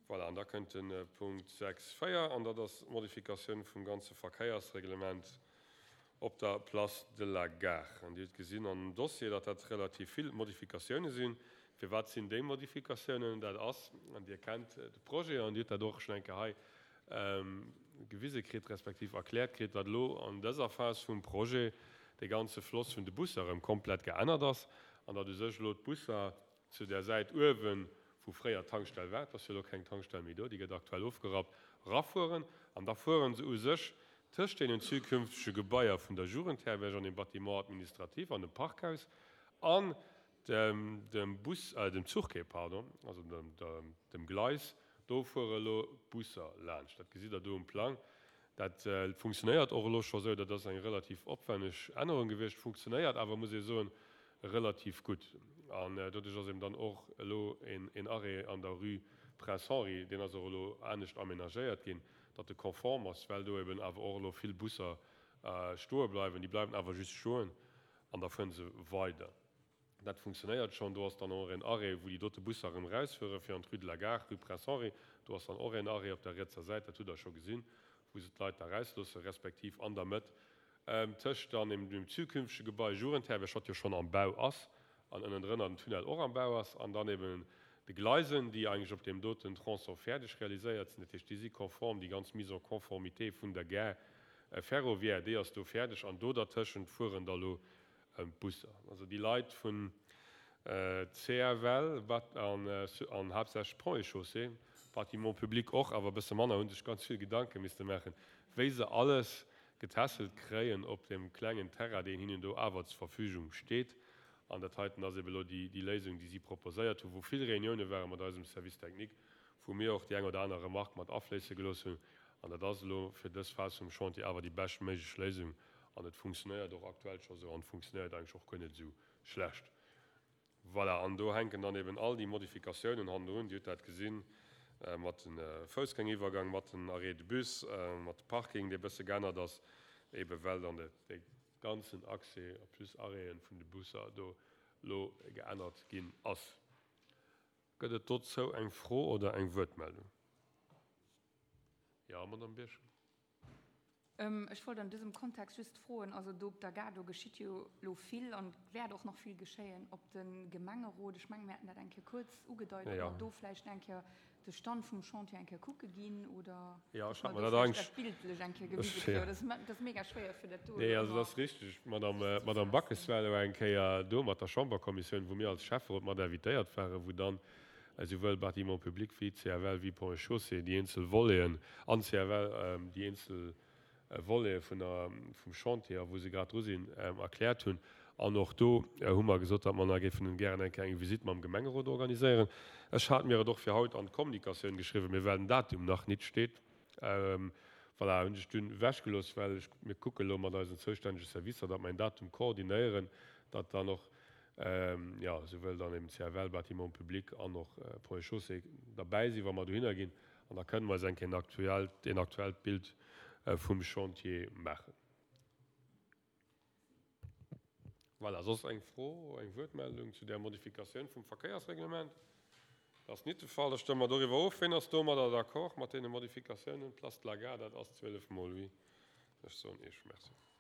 Voilà, an da kënnt de Punkt 6, 4, an dat ass d'Modifikatioun vum ganze Verkéiersreglement op der Place de la Gare. An Dir hutt gesinn an dem Dossier, datt dat relativ vill Modifikatioune sinn. Firwat sinn déi Modifikatiounen? Dat ass, an Dir kennt de Projet an Dir hutt dat och schonn eng Kéier hei gewise kritt, respektiv erkläert kritt, datt elo an dëser Phas vum Projet dee ganze Floss vun de Busser erëm komplett geännert ass an datt u sech elo d'Busser zu där Säit uewen, wou fréier d'Tankstell war, et ass jo elo keng Tankstell méi do, déi gëtt aktuell ofgerappt, erafueren an da fuere se u sech tëscht deenen zukünftege Gebaier vun der Jugendherberg an dem Bâtiment administratif an dem Parkhaus an dem Bus, dem Zuchquai, pardon, also dem Gleis, do fuere elo d'Busser laanscht. Dat gesitt Der do um Plang. Dat funktionéiert och elo scho sou. Dat ass eng relativ opwenneg Ännerung gewiescht, funktionéiert awer, muss ee soen, relativ gutt. An doduerch ass eben dann och elo een Arrêt an der Rue Prince Henri, deen ass och elo anescht aménagéiert ginn, datt e konform ass, well do eben awer och elo vill Busser stoe bleiwen. Déi bleiwen awer just stoen an da fuere se weider. Dat funktionéiert schonn. Do ass dann och en Arrêt, wou déi dote Busser erëm erausfuere fir an d'Rue de la Gare, Rue Prince Henri. Do ass dann och en Arrêt op der rietser Säit, dat hutt Der scho gesinn, wou se d'Leit da erausloossen, respektiv an der Mëtt tëscht dann eben dem zukünftege Gebai Jugendherberg, wat jo schonn am Bau ass, an ënnendrënner den Tunnel och am Bau ass, an dann eben de Gleisen, déi eigentlech op deem doten Tronçon fäerdeg realiséiert sinn. Dat heescht, déi si konform, déi ganz Mise en conformité vun der Gare ferroviaire, déi ass do fäerdeg, an do dertëschent fueren da lo D'Busser, also déi Leit vun CFL an haaptsächlech Ponts et Chaussées, Bâtiments publics och, awer e bësse manner, hu sech ganz vill Gedanke misste maachen, wéi se alles getässelt kréien op deem klengen Terrain, deen hinnen do awer zur Verfügung steet. An dat heiten ass ebe elo déi Léisung, déi si proposéiert hunn, wou vill Reunioune ware mat eisem Service technique, wou mir och déi eng oder aner Remarque mat afléisse gelooss hunn. An dat ass elo fir dës Phas vum Chantier awer déi beschtméiglech Léisung. An et funktionéiert och aktuell scho sou an et funktionéiert eigentlech och guer net esou schlecht. Voilà, an do hänken dann eben all déi Modifikatiounen hannendrun. Dir hutt dat gesinn mat de Foussgängeriwwergang, mat den Arrêts de bus, mat de Parking, dee bësse geännert ass, ebe well dann dee ganzen Accès plus Arrêten vun de Busser do elo geännert ginn ass. Gëtt et dozou eng Fro oder eng Wuertmeldung? Jo, Madamm Birchen. Ech wollt an dësem Kontext just froen, also do op der Gare, do geschitt jo elo vill an et wäert och nach vill geschéien, ob de Gemengerot, ech mengen, mir haten dat eng Kéier kuerz ugedeit, ob mer do vläicht eng Kéier de Stand vum Chantier eng Kéier kucke ginn oder dass mer do vläicht dat bildlech eng Kéier gewise kréien. Dat ass mega schwéier fir dat do elo ëmmer. Also dat ass richteg, d'Madame Backes war elo eng Kéier do mat der Chamberkommissioun, wou mir als Schäfferot mat invitéiert waren, wou dann esouwuel Bâtiments publics wéi CFL wéi Ponts et Chaussées déi eenzel Voleten an CFL déi eenzel Volete vun der, vum Chantier a wou se grad dru sinn, erkläert hunn. An och do hu mer gesot, datt mer nach géifen gären eng Kéier eng Visitt mam Gemengerot organiséieren. Ech hat mir et och fir haut an d'Kommunikatioun geschriwwen, mee well den Datum nach nit steet, voilà, hunn ech dunn ewechgelooss, well ech, mir kucke elo mat eisen zoustännege Servicer, datt mer en Datum koordinéieren, datt dann och jo, souwuel dann eben CFL, Bâtiments publics an och Ponts et Chaussées derbäi sinn, wa mer dohinner ginn. An da kënnen mer eis eng Kéier en aktuellt, een aktuellt Bild vum Chantier maachen. Voilà, soss eng Fro, eng Wuertmeldung zu där Modifikatioun vum Verkéiersreglement? Dat ass nit de Fall. Da stëmme mer doriwwer of. Ween ass domadder d'accord, mat deene Modifikatiounen? Place de la Gare, dat ass 12 mol oui. Ech soen Iech Merci.